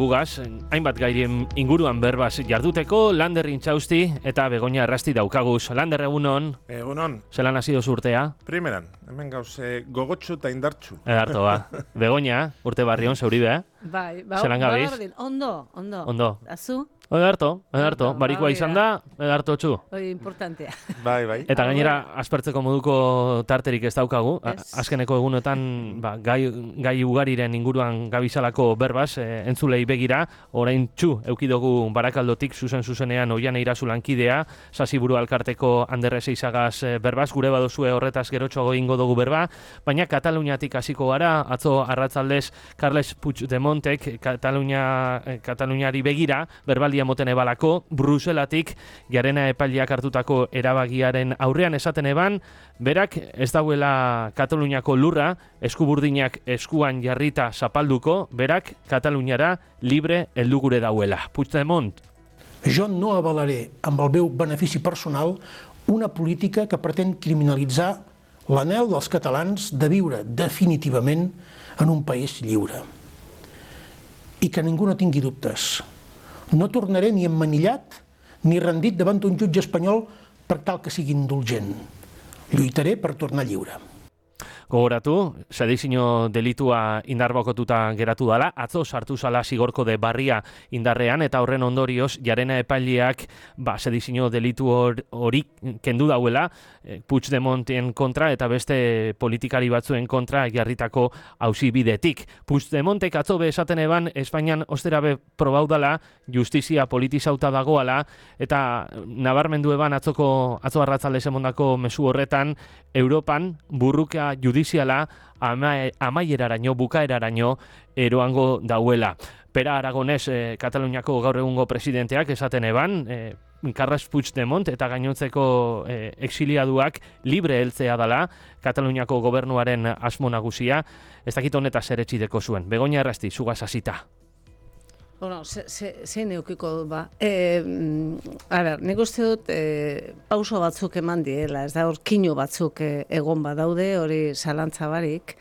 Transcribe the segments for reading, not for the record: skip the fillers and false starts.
gugaz, hainbat gairien inguruan berbaz jarduteko, Lander Intxausti eta Begoña Errasti daukaguz. Lander, egunon? Egunon. Zelan hasi dozu urtea? Primeran, hemen gauze gogotxu eta indartxu. Edarto, ba. Begoña, urte barrion, zeuribe, Bai, zelan gabiz? Ondo. Azu? Edarto. Barikoa izan da, edarto txu. Hori importantea. Bai. Eta gainera, aspertzeko moduko tarterik ez daukagu. Azkeneko egunetan, gai ugariren inguruan gabizalako berbaz, entzulei begira, orain txu, eukidogu Barakaldotik zuzenean Oian Eirazu lankidea, Sasiburu Alkarteko Anderrez Eizagaz berbaz, gure badozue horretaz gerotxoago ingo dugu berba, baina Kataluniatik hasiko gara, atzo arratzaldez Carles Puigdemontek Kataluniari begira, berbaldia moten ebalako, Bruselatik Jarena epaileak hartutako erabagiaren aurrean esaten eban, berak ez dauela Kataluniako lurra, eskuburdinak eskuan jarrita zapalduko, berak Kataluniara libre heldu gure dauela. Puigdemont. Jo no avalaré amb el meu benefici personal una política que pretén criminalitzar l'anhel dels catalans de viure definitivament en un país lliure. I que ningú no tingui dubtes. No tornaré ni emmanillat ni rendit davant un jutge espanyol per tal que sigui indulgent. Lluitaré per tornar lliure. Gogoratu, sedizio delitua indarbokotuta geratu dela, atzo sartu zala zigorko de barria indarrean, eta horren ondorioz, Jarena epaileak sedizio delitu hori kendu dauela, Puigdemonten kontra eta beste politikari batzuen kontra jarritako auzibidetik. Puigdemontek atzo be esaten eban, Espainian osterabe probaudala, justizia politizauta dagoala, eta nabarmendu eban atzo arratzalde emondako mezu horretan, Europan burruka judiziala amaieraraino, bukaeraraino eroango dauela. Pera Aragonez, Kataluniako gaur egungo presidenteak esaten eban, Carles Puigdemont eta gainontzeko exiliaduak libre heltzea dela, Kataluniako gobernuaren asmo nagusia, ez dakit honetaz ere txideko zuen. Begoña Errasti, zugaz hasita. Bueno, zein eukiko dut ba. Nik uste dut pauso batzuk eman diela, ez da hor kinu batzuk egon badaude, hori zalantza barik.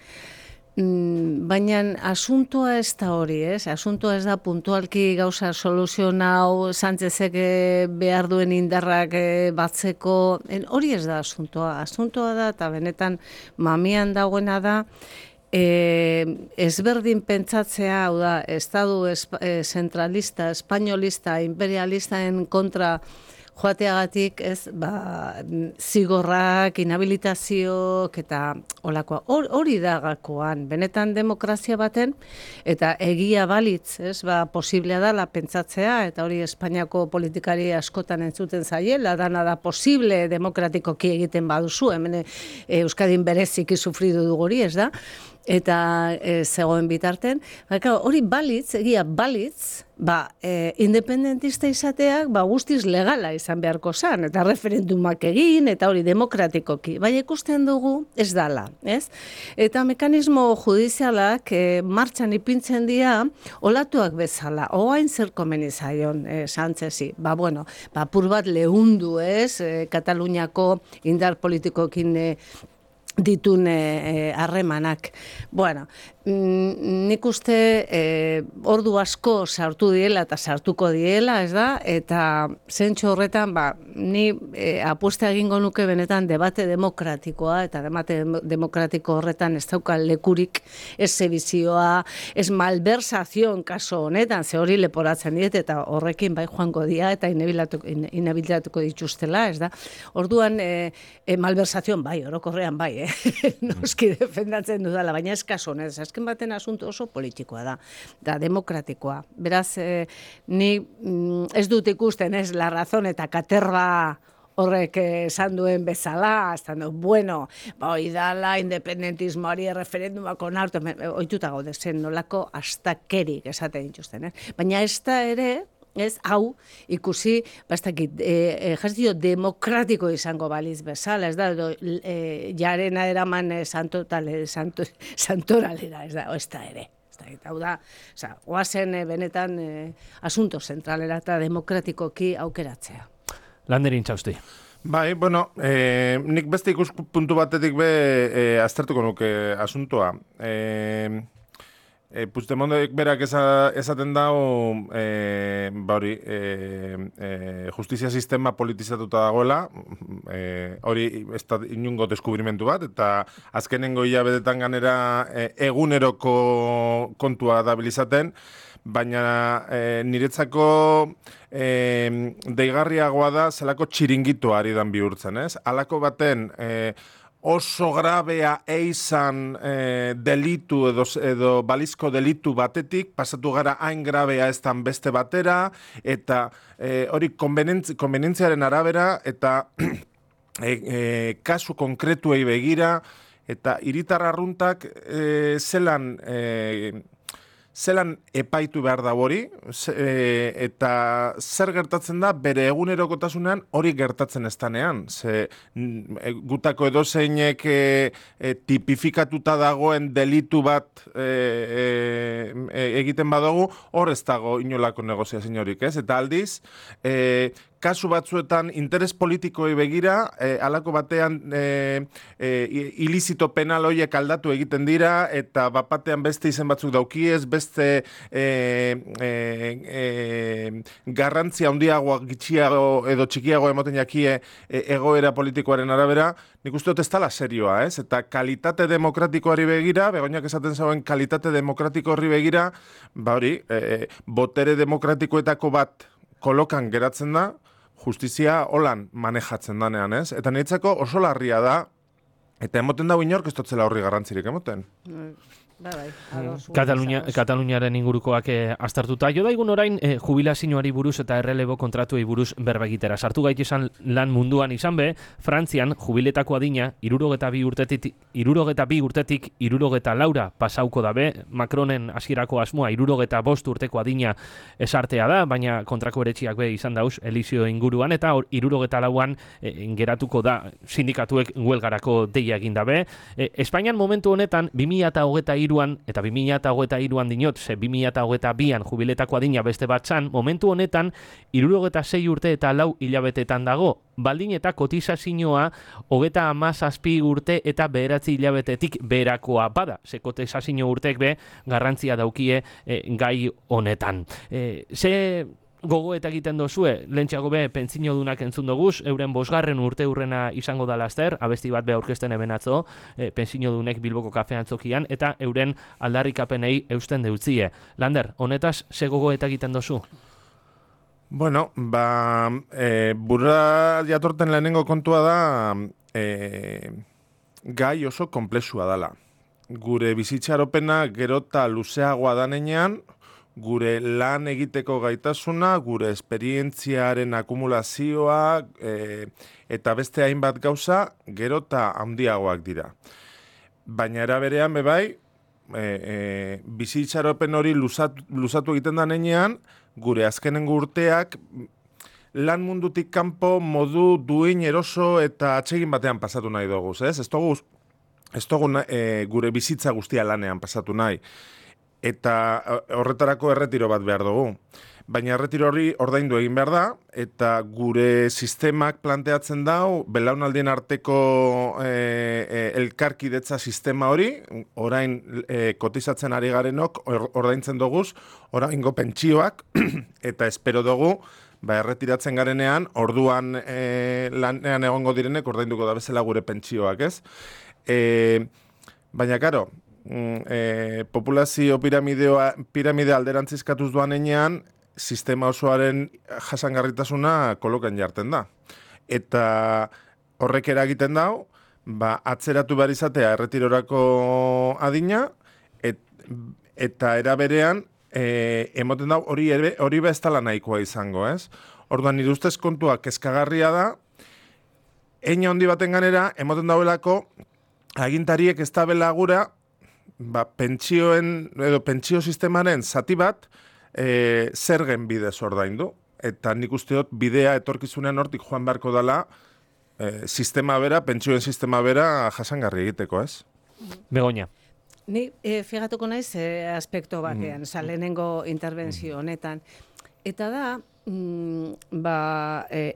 Baina asuntoa ez da hori, ez? Asuntoa ez da puntualki gauza soluzionau, Sánchezek behar duen indarrak batzeko, hori ez da asuntoa. Asuntoa da, eta benetan mamian dagoena da, ezberdin pentsatzea, hau da, estadu zentralista, espainolista, imperialistaen kontra joateagatik, ez, zigorrak, inhabilitazioak eta olakoa. Hori da gakoan, benetan demokrazia baten, eta egia balitz, ez, posiblea dela pentsatzea, eta hori Espainiako politikari askotan entzuten zaiela, dana da posible demokratikoki egiten baduzu, hemen Euskadin bereziki sufridu dugu hori, ez da? Eta zegoen bitarten, hori balitz, egia balitz, independentista izateak guztiz legala izan beharko zen, eta referendumak egin, eta hori demokratikoki. Bai, ikusten dugu ez dala, ez? Eta mekanismo judizialak martxan ipintzen dira olatuak bezala, oain zer komeni zaion Sánchezi. Apur bat lehundu, ez? Kataluniako indar politikokin ditun harremanak. Nik uste ordu asko sartu diela eta sartuko diela, ez da? Eta zentxo horretan, ni apuesta egingo nuke benetan debate demokratikoa, eta debate demokratiko horretan ez dauka lekurik, ez zebizioa, ez malversazion kaso honetan, ze hori leporatzen diet, eta horrekin bai joango dia, eta inhabilitatuko dituztela, ez da? Orduan, malversazion bai, orokorrean bai, noski defendatzen dudala, baina ez kaso honez, azken baten asunto oso politikoa da demokratikoa. Beraz, ni ez dut ikusten, ez, la razón eta katerba horrek esan duen bezala, esan du, hoi dala, independentismoari referendumak onartu, ohituta gaude zen nolako astakerik esaten dituzten, baina ez da ere, ez, hau, ikusi, ejército demokratiko izango baliz bezala, ez da, Jarena eraman santoralera, ez da ere. Hau da, oazen benetan asunto zentralera eta demokratikoki aukeratzea. Lander Intxausti. Bai, nik beste ikuspuntu batetik aztertuko nuke asuntoa. Puigdemondek berak esaten dau, justizia sistema politizatuta dagoela, hori ez da inungo deskubrimentu bat, eta azkenengo hilabetetan ganera eguneroko kontua dabilizaten, baina niretzako deigarriagoa da zelako txiringitoa ari dan bihurtzen, ez? Halako baten oso grabea eizan delitu edo balizko delitu batetik, pasatu gara hain grabea eztan beste batera, eta hori konbenientziaren arabera, eta kasu konkretuei begira, eta hiritar arruntak zelan epaitu behar da hori, eta zer gertatzen da bere egunerokotasunean hori gertatzen ez danean. Gutako edozeinek tipifikatuta dagoen delitu bat egiten badugu, hor ez dago inolako negoziazio horik, ez? Eta aldiz, kasu batzuetan interes politikoei begira, halako batean ilizito penal horiek aldatu egiten dira, eta bapatean beste izen batzuk daukiez, beste garrantzia handiagoa, gitxiago edo txikiago emoten jakie egoera politikoaren arabera, nik uste dut ez dela serioa, ez? Eta kalitate demokratikoari begira, Begoñak esaten zauen kalitate demokratiko horri begira, botere demokratikoetako bat kolokan geratzen da, justizia holan manejatzen danean, ez? Eta niretzako oso larria da, eta emoten dago inork ez dotzela horri garrantzirik emoten. Kataluniaren ingurukoak aztertuta. Jo daigun orain jubilazioari buruz eta errelebo kontratuei buruz berba egitera. Sartu gaitesan lan munduan izan be, Frantzian jubiletako adina 62 urtetik 64 pasauko dabe. Macronen hasierako asmoa 65 urteko adina esartea da, baina kontrako eretxiak be izan dauz Elizio inguruan, eta 64an geratuko da sindikatuek huelgarako deia egin dabe. Espainian momentu honetan 2023 eta 2023an dinot, 2022an jubiletako adina beste batzan, momentu honetan 66 urte eta 4 hilabetetan dago. Baldin eta kotizazioa 37 urte eta 9 hilabetetik berakoa bada. Ze kotizazio urtek be garrantzia daukie gai honetan. Gogo eta egiten dozue, lehentxeago be pentsio dunak entzun doguz, euren 5. urte urrena izango da laster, abesti bat be aurkezten eben atzo, pentsio dunek Bilboko kafean zokian, eta euren aldarrikapenei eusten deutzie. Lander, honetaz, ze gogo eta egiten dozu? Bueno, burra jatorten lehenengo kontua da gai oso komplexua dala. Gure bizitxaropena gerota luzeagoa danean, gure lan egiteko gaitasuna, gure esperientziaren akumulazioa eta beste hainbat gauza gerota handiagoak dira. Baina eraberean bebai, bizitxaropen hori luzatu egiten da nenean, gure azkenengo urteak lan mundutik kanpo modu duin eroso eta atsegin batean pasatu nahi dugu, ez? Ez dugu gure bizitza guztia lanean pasatu nahi. Eta horretarako erretiro bat behar dugu. Baina erretiro hori ordaindu egin behar da, eta gure sistemak planteatzen dau, belaunaldien arteko elkarkidetza sistema hori, orain kotizatzen ari garenok ordaintzen duguz, oraingo pentsioak, eta espero dugu, erretiratzen garenean, orduan lanean egongo direnek ordainduko da bezala gure pentsioak, ez? Baina, karo, populazio piramidea alderantzizkatuz doan enean, sistema osoaren jasangarritasuna kolokan jarten da. Eta horrek eragiten dau, atzeratu behar izatea erretirorako adina, eta eraberean, emoten dau hori ez dela nahikoa izango, ez? Orduan, nire ustez kontua kezkagarria da, eina handi baten ganera, emoten dauelako, agintariek ez da belagura, pentsio sistemaren zati bat zergen bidez ordaindu. Eta nik uste dut bidea etorkizunean hortik joan beharko dela sistema bera, pentsioen sistema bera jasangarri egiteko, ez? Begoña. Ni figatuko naiz aspekto batean, lehenengo interbentzio honetan. Eta da,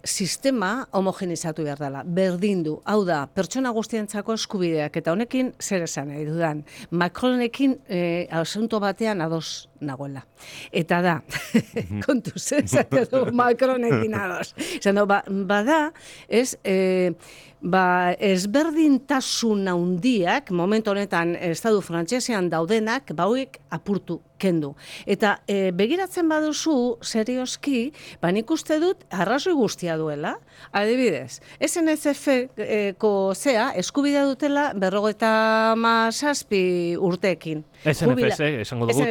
sistema homogenizatu behar dela, berdindu. Hau da, pertsona guztientzako eskubideak, eta honekin zer esan nahi dudan. Macronekin asunto batean ados nagoela. Eta da, kontuz, esate du Macronekin ados. Bada, ezberdintasun handiak, momentu honetan estatu frantsesean daudenak, hauek apurtu kendu. Eta begiratzen baduzu, serioski, nik uste dut arrazoi guztia duela. Adibidez, SNCF-ko eskubidea dutela 57 urteekin. SNCF, esango dugu,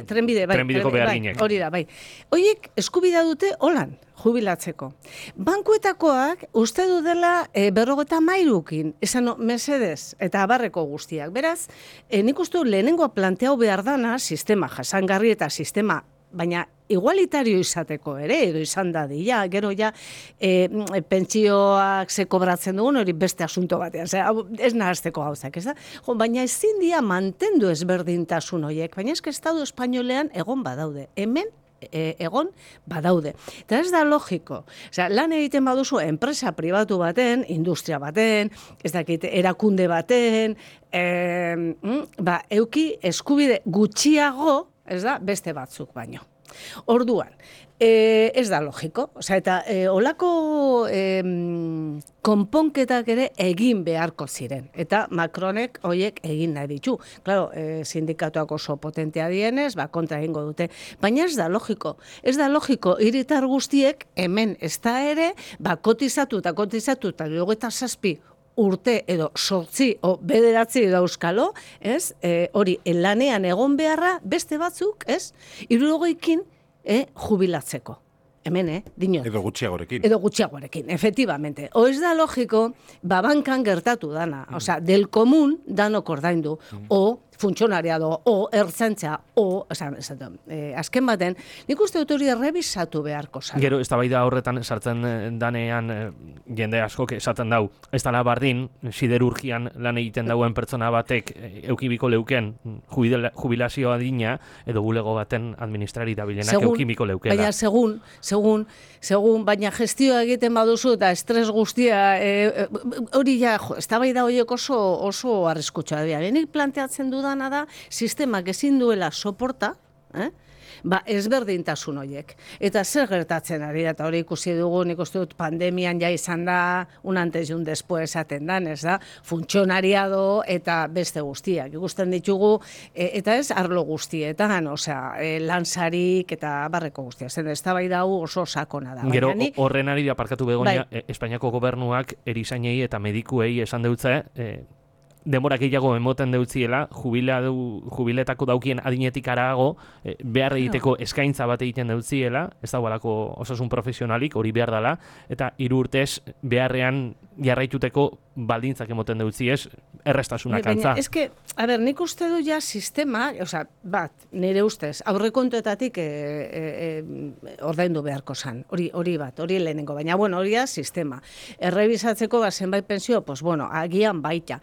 trenbideko beharginek. Hori da, bai. Horiek eskubidea dute holan, jubilatzeko. Bankuetakoak uste du dela 53 esan mesedez eta abarreko guztiak. Beraz, nik uste lehenengoa planteau behar dana, sistema jasangarri eta sistema, baina igualitario izateko ere, edo izan dadila, gero ja pentsioak ze kobratzen dugun, hori beste asunto batean, ez nahazteko gauzak, ez da? Baina ezin dia mantendu ezberdintasun horiek, baina eske Estatu Espainolean egon badaude, hemen egon badaude. Eta ez da logiko. Lan egiten baduzu enpresa pribatu baten, industria baten, ez dakit, erakunde baten, euki eskubide gutxiago, ez da, beste batzuk baino. Orduan, ez da logiko. Eta olako konponketak ere egin beharko ziren. Eta Macronek horiek egin nahi ditu. Claro, sindikatuak oso potentea dienez, kontra egingo dute. Baina ez da logiko. Ez da logiko, hiritar guztiek hemen ez da ere, kotizatu eta 27 urte edo 8 o 9 dauzkalo, ez? Hori, lanean egon beharra beste batzuk, ez? 60ekin jubilatzeko. Hemen, dinot. Edo gutxiagorekin. Edo gutxiagorekin, efectivamente. O ez da logiko, bankan gertatu dana. Osea, del komun danok ordaindu. O funtzionariado, o ertzaintza, o, azken baten, nik uste dut hori errebisatu beharko zara. Gero, eztabaida horretan sartzen danean jende askok esaten dau, ez dala bardin, siderurgian lan egiten dauen pertsona batek eukibiko leuken jubilazioa dina, edo bulego baten administrari dabilenak eukibiko leukela. Baina segun, baina gestioa egiten baduzu eta estres guztia, hori ja, eztabaida horiek oso arriskutsa dira. Nik planteatzen dudan da, sistemak ezin duela soporta, ezberdintasun horiek. Eta zer gertatzen ari da, eta hori ikusi dugu, nik uste dut pandemian ja izan da, un antes y un después esaten dan, ez da, funtzionariado eta beste guztiak. Ikusten ditugu, eta ez arlo guztietan, lansarik eta barreko guztiak. Zer, ez da bai dau oso sakona da. Gero, horren ari aparkatu Begoña, Espainiako gobernuak erizainei eta medikuei esan deutze, denbora gehiago emoten deutziela, jubiletako daukien adinetik arago, behar egiteko eskaintza bat egiten deutziela, ez dagoelako osasun profesionalik, hori behar dela, eta 3 urtez beharrean jarraituteko baldintzak emoten deutziez, errestasunak antza. Baina, eske, nik uste du ja sistema, nire ustez, aurrekontuetatik ordaindu beharko zan, hori lehenengo, baina, hori da sistema. Errebisatzeko zenbait pensio, agian baita.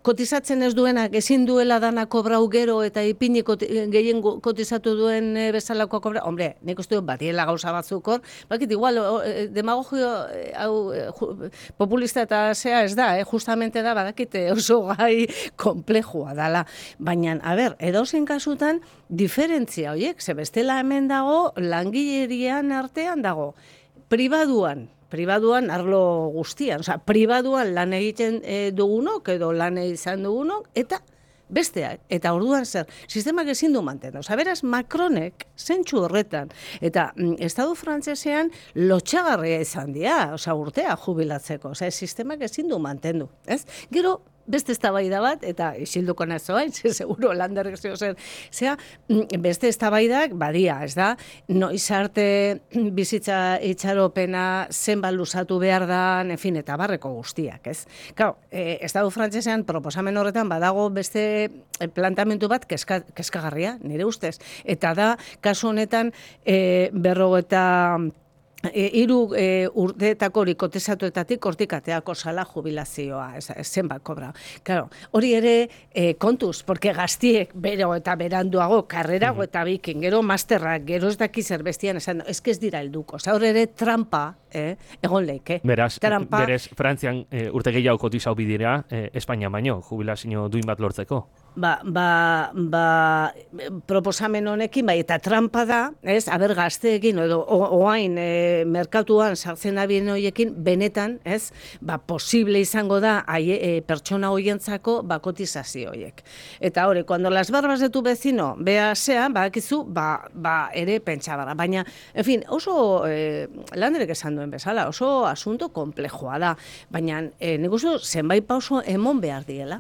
Kotizatzen ez duenak ezin duela dana kobrau gero eta ipini gehien kotizatu duen bezalako kobrau. Hombre, nik uste dut batiela gauza batzuk hor, igual demagogio populista eta zea ez da, justamente da, badakite oso gai komplejua dala. Baina, edozein kasutan, diferentzia horiek, ze bestela hemen dago, langilerian artean dago, pribaduan arlo guztian, pribaduan lan egiten dugunok edo lan izan dugunok, eta besteak, eta orduan zer, sistemak ezin du mantendu. Beraz, Macronek zentsu horretan, eta Estatu frantsesean lotxagarria izan dira, urtea jubilatzeko, sistemak ezin du mantendu, ez? Gero, beste eztabaida bat, eta isilduko nazoain, seguro landerrek zer, beste eztabaidak badia, ez da, noiz arte bizitza itxaropena zenbat luzatu behar da, eta barreko guztiak, ez? Claro, Estatu frantsesean proposamen horretan badago beste plantamentu bat kezkagarria, nire ustez, eta da, kasu honetan, hiru urteetako hori kotizatuetatik hortik ateako sala jubilazioa, zenbat kobra. Claro, hori ere kontuz, porque gaztiek bero eta beranduago, karrerago eta bikin, gero masterrak, gero ez daki zerbestian, esan, ez dira helduko. Hor ere trampa, egon leike. Berez, Frantzian urte gehiago kotizau bidira, Espainia baino, jubilazio duin bat lortzeko. Proposamen honekin, eta trampa da, ez, aber gazteekin, edo oain merkatuan sartzen abien horiekin, benetan, ez, posible izango da pertsona hoientzako kotizazio horiek. Eta hori, cuando las barbas de tu vecino bea sean, badakizu, ere pentsabara. Baina, en fin, oso Landerek esan duen bezala, oso asunto komplejoa da. Baina, nik uste zenbait pauso emon behar diela.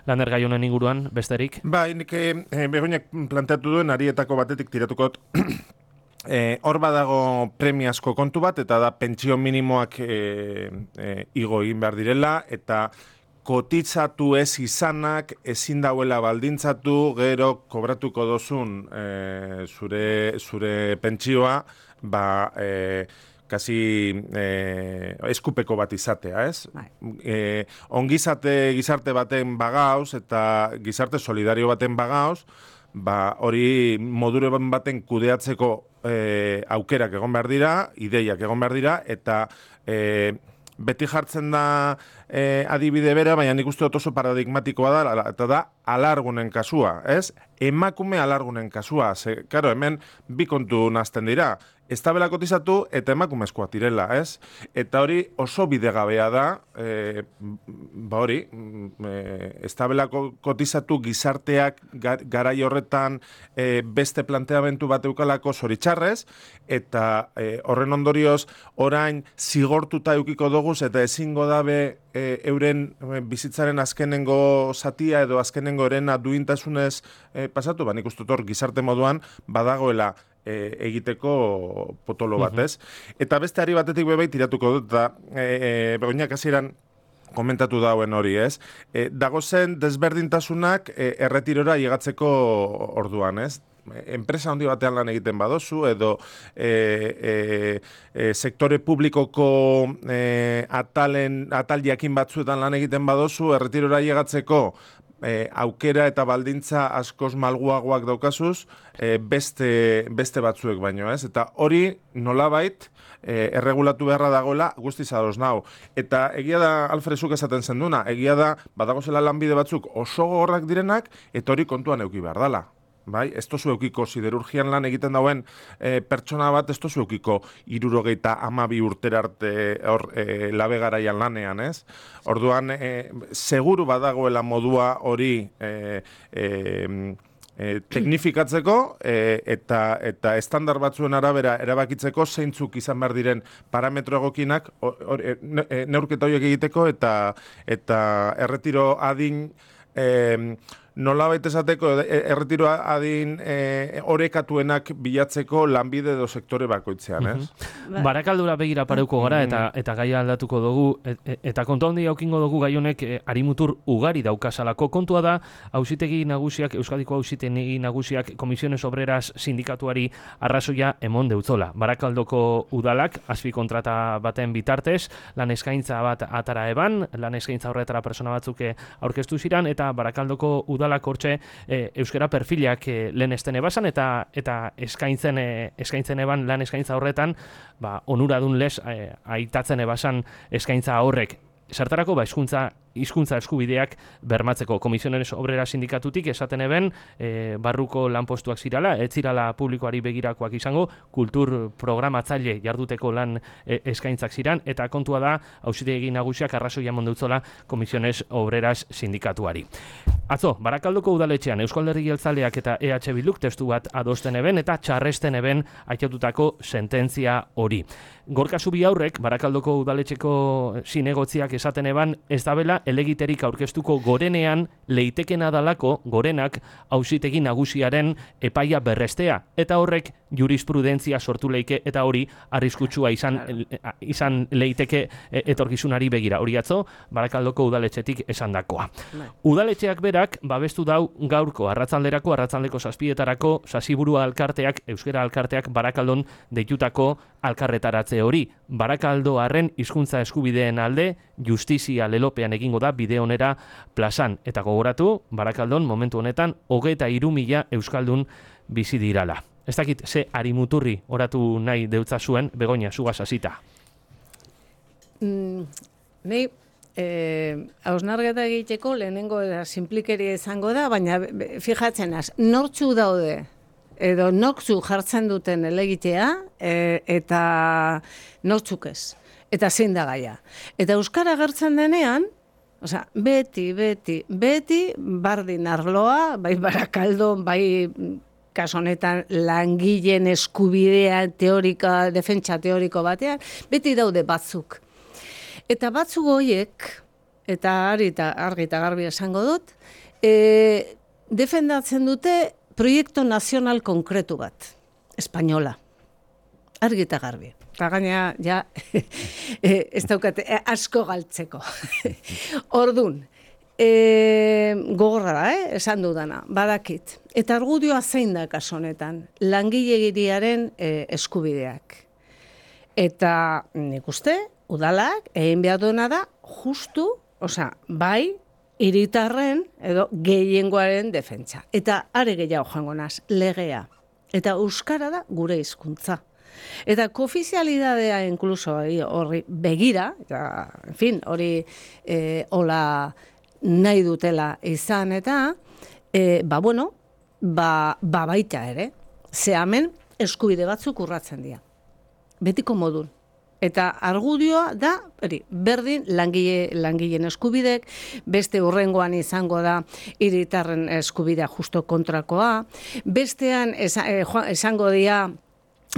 Lander gai honen inguruan, besterik? Nik Begoñak planteatu duen arietako batetik tiratuko hor badago premiazko kontu bat, eta da pentsio minimoak igo egin behar direla, eta kotizatu ez izanak ezin dauela baldintzatu gero kobratuko dozun zure pentsioa, kasi eskupeko bat izatea, ez? Ongizate gizarte baten bagauz eta gizarte solidario baten bagauz, hori modure baten kudeatzeko aukerak egon behar dira, ideiak egon behar dira, eta beti jartzen da adibide bera, baina nik uste dut oso paradigmatikoa da, eta da alargunen kasua, ez? Emakume alargunen kasua, karo, hemen bi kontu nazten dira, ez tabela kotizatu eta emakumezkoak direla, ez? Eta hori oso bidegabea da, ez tabela kotizatu gizarteak garai horretan beste planteamentu bat eukalako zoritxarrez, eta horren ondorioz orain zigortuta eukiko doguz eta ezingo dabe euren bizitzaren azkenengo zatia edo azkenengo erena duintasunez pasatu, nik uste hor gizarte moduan badagoela egiteko potolo bat, ez? Eta beste ari batetik bebait tiratuko dut, eta Begoñak hasieran komentatu dauen hori, ez? Dagozen desberdintasunak erretirora llegatzeko orduan, ez? Enpresa handi batean lan egiten badozu, edo sektore publikoko atal jakin batzuetan lan egiten badozu, erretirora llegatzeko aukera eta baldintza askoz malguagoak daukazuz, beste batzuek baino, ez? Eta hori nolabait erregulatu beharra dagoela guztiz ados nau. Eta egia da, Alfrezuk esaten zenduna, egia da, badagozela lanbide batzuk oso gogorrak direnak, eta hori kontuan euki behar dala. Bai, ez tozu eukiko siderurgian lan egiten dauen pertsona bat, ez tozu eukiko 72 urtera arte labe garaian lanean, ez? Orduan, seguru badagoela modua hori teknifikatzeko eta estandar batzuen arabera erabakitzeko zeintzuk izan behar diren parametro egokinak neurketa horiek egiteko eta erretiro adin nolabait esateko erretiro adin orekatuenak bilatzeko lanbide edo sektore bakoitzean, ez? Barakaldura begira pareuko gara eta gaia aldatuko dugu, eta kontu handi aukingo dugu gai honek harimutur ugari daukasalako. Kontua da, auzitegi nagusiak, Euskadiko auzitegi nagusiak Komisiones Obreras sindikatuari arrazoia emon deutzola. Barakaldoko udalak, azpikontrata baten bitartez, lan eskaintza bat atara eban, lan eskaintza horretara persona batzuk aurkeztu ziran, eta Barakaldoko udalak hortxe euskara perfilak lehen esten ebasan eta eskaintzen eban lan eskaintza horretan onuradun les aitatzen ebasan eskaintza horrek. Zertarako hizkuntza eskubideak bermatzeko. Komisiones Obrera sindikatutik esaten eben barruko lanpostuak zirala, ez zirala publikoari begirakoak izango, kultur programatzaile jarduteko lan eskaintzak ziran, eta kontua da auzitegi nagusiak arrazoia mondeutzola Komisiones Obreras sindikatuari. Atzo, Barakaldoko udaletxean Euskal Herri Jeltzaleak eta EH Bilduk testu bat adosten eben eta txarresten eben aitatutako sententzia hori. Gorka Zubi aurrek, Barakaldoko udaletxeko zinegotziak esaten eban, ez dabela elegiterik aurkeztuko gorenean leitekena dalako gorenak auzitegi nagusiaren epaia berrestea, eta horrek jurisprudentzia sortu leike eta hori arriskutsua izan leiteke etorkizunari begira. Hori atzo, Barakaldoko udaletxetik esandakoa. Udaletxeak berak babestu dau gaurko arratzalderako, arratzaldeko 7etarako Sasiburua alkarteak, euskera alkarteak Barakaldon deitutako alkarretaratze hori. Barakaldoarren hizkuntza eskubideen alde justizia lelopean egingo da bide onera plazan. Eta gogoratu, Barakaldon momentu honetan 23.000 euskaldun bizi dirala. Ez dakit, ze arimuturri oratu nahi deutza zuen, Begoña, zugaz hasita. Nei, hausnarketa egiteko lehenengo sinplikeria izango da, baina fijatzen az, nortzu daude, edo nortzu jartzen duten elegitea, eta nortzuk ez, eta zein da gaia. Eta euskara agertzen denean, beti bardin arloa, bai Barakaldon, bai kasu honetan langileen eskubidea teorika, defentsa teoriko batean, beti daude batzuk. Eta batzuk horiek, eta argi eta garbi esango dut, defendatzen dute proiektu nazional konkretu bat, espainola. Argi eta garbi. Eta gaina, ja, ez daukate, asko galtzeko. Ordun, gogorra da, esan dudana, badakit. Eta argudioa zein da kasu honetan, langileriaren eskubideak. Eta nik uste, udalak egin behar duena da, justu, bai, hiritarren edo gehiengoaren defentsa. Eta are gehiago joango naz, legea. Eta euskara da gure hizkuntza. Eta koofizialidadea inkluso horri begira, eta, en fin, hori hola nahi dutela izan eta, baita ere, ze hemen eskubide batzuk urratzen dira. Betiko modun. Eta argudioa da, berdin langileen eskubidek, beste hurrengoan izango da hiritarren eskubidea justo kontrakoa, bestean esango dira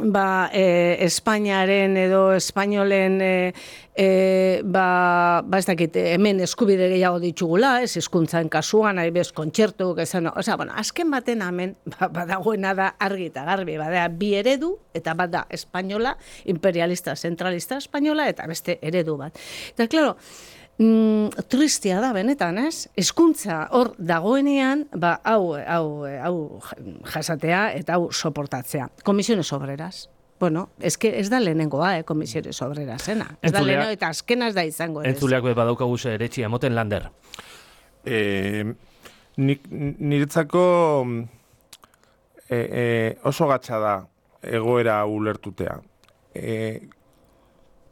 Espainiaren edo espainolen ez dakit, hemen eskubide gehiago ditugula, ez hizkuntzan kasuan, bez kontzertuk, azken baten hemen badagoena da argi eta garbi, bada bi eredu, eta bat da espainola, imperialista, zentralista espainola, eta beste eredu bat. Eta, klaro, tristia da benetan, ez? Hizkuntza hor dagoenean, hau jasatea eta hau soportatzea. Komisiones obreras. Bueno, ez da lehenengoa, komisiones obreras, ez da lehenengo eta azkena ez da izango. Entzuleak badaukagu eretxia, moten Lander. Niretzako oso gatza da egoera ulertutea.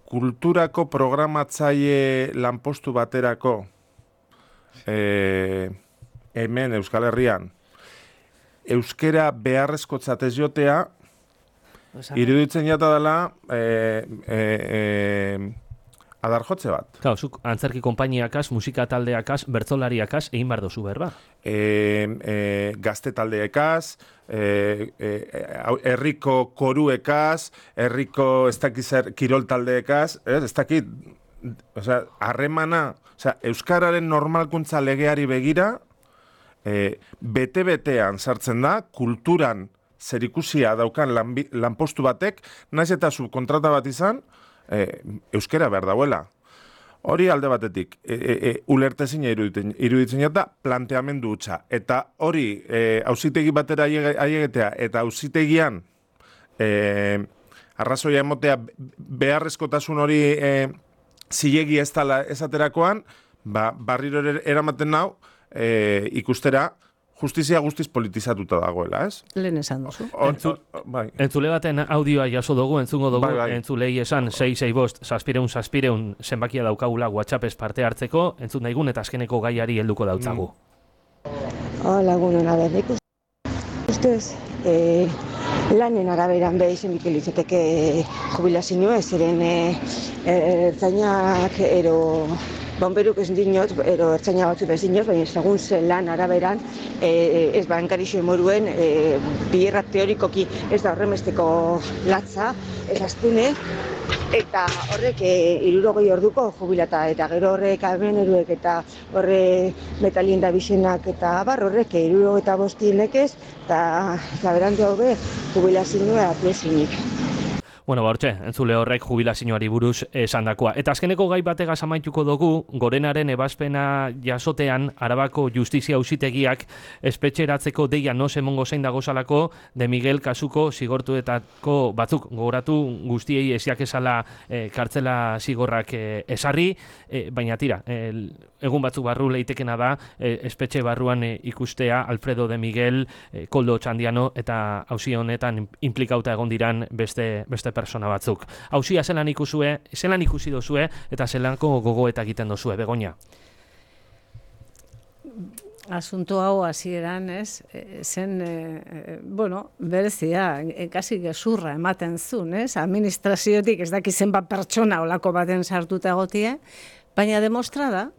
Kulturako programatzaile lanpostu baterako hemen Euskal Herrian euskera beharrezkotzat ez jotea iruditzen jata dela adarjotze bat. Claro, zuk antzerki konpainiakaz, musika taldeakaz, bertsolariakaz egin behar dozu berba. Gazte taldeekaz, herriko koruekaz, herriko ez dakit zer kirol taldeekaz, ez dakit, harremana, euskararen normalkuntza legeari begira, bete-betean sartzen da, kulturan zerikusia daukan lanpostu batek, naiz eta subkontrata bat izan, euskera behar dauela. Hori alde batetik, ulertezina iruditzen jata, planteamendu hutsa. Eta hori, auzitegi batera aiegetea, eta auzitegian arrazoia emotea beharrezkotasun hori zilegi ez dela esaterakoan, barriro eramaten nau, ikustera, justizia guztiz politizatuta dagoela, ez? Lehen esan duzu. Entzule baten audioa jaso dugu, entzungo dugu, entzulei esan 665-600-600 zenbakia daukagula WhatsAppez parte hartzeko, entzun daigun eta azkeneko gaiari helduko dautzagu. Hola, egunon, nik ustez, lanen araberan izan litzateke jubilazioa, zeren ertzainak ero Bomberuk ez dinot, ero ertzaina batzuk ez dinot, baina segun zen lan araberan, ez enkarixo emoruen, bierra teorikoki ez da horremesteko latza, ez astune, eta horrek 60 orduko jubilata, eta gero horrek almeneruek eta horre metalien da bisenak eta bar horrek 65 nekez, eta berandu hau be jubilazioa plesinik. Bueno, hortxe, entzule horrek jubilazioari buruz esandakoa. Eta azkeneko gai bategaz amaituko dugu, Gorenaren ebazpena jasotean Arabako Justizia Auzitegiak espetxeratzeko deia no emongo zein dagozalako de Miguel kasuko zigortuetako batzuk gogoratu guztiei esiak esala kartzela zigorrak esarri, baina tira, egun batzuk barru leitekena da espetxe barruan ikustea Alfredo de Miguel, Koldo Txandiano eta auzi honetan implikauta egon diran beste persona batzuk. Auzia zelan ikusi dozue eta zelanko gogoeta egiten dozue, Begoña? Asunto hau hasieran, ez? Zen, berezia, kasi gezurra ematen zuen, ez? Administraziotik ez daki zenbat pertsona olako baten sartuta egotie, baina demostrada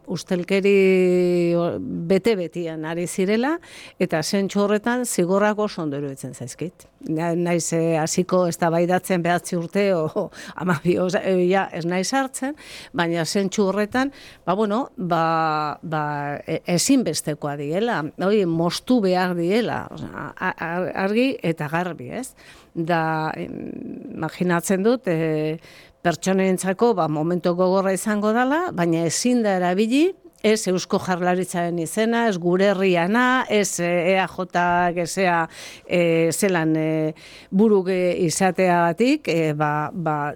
ustelkeri bete-betian ari zirela, eta zentsu horretan zigorrak oso ondo iruditzen zaizkit. Naiz hasiko eztabaidatzen 9 urte o 12 ez naiz hartzen, baina zentsu horretan, ezinbestekoa diela, moztu behar diela, argi eta garbi, ez? Da, imaginatzen dut, pertsonentzako momentu gogorra izango dela, baina ezin da erabili, ez Eusko Jaurlaritzaren izena, ez gure herriana, ez EAJ gezea zelan buruk izateagatik,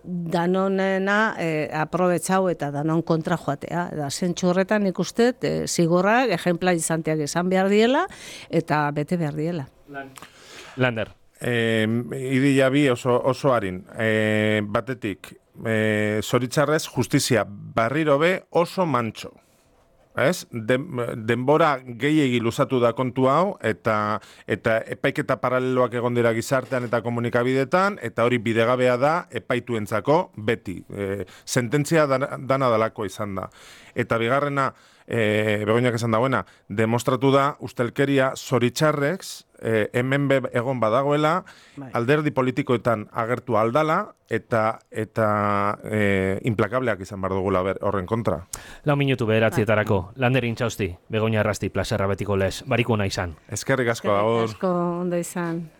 danonena aprobetxau eta danon kontra joatea. Da, zentsu horretan ikustet, zigorrak, ejempla izanteak izan behar diela, eta bete behar diela. Lander. Idila bi oso harin. Batetik, zoritzarrez justizia barriro be oso mantxo. Ez? Denbora gehiegi luzatu da kontu hau, eta epaiketa paraleloak egon dira gizartean eta komunikabidetan, eta hori bidegabea da epaituentzako beti. Sententzia dana dalako izan da. Eta bigarrena, Begoñak esan dagoena, demostratu da ustelkeria zoritzarrez, hemen egon badagoela, alderdi politikoetan agertu aldala, eta implakableak izan behar dugula horren kontra. 4 minutu 9:00 Lander Intxausti, Begoña Arrasti, plazerra betiko lez, barikuna izan. Eskerrik asko, agur. Eskerrik asko, ondo izan.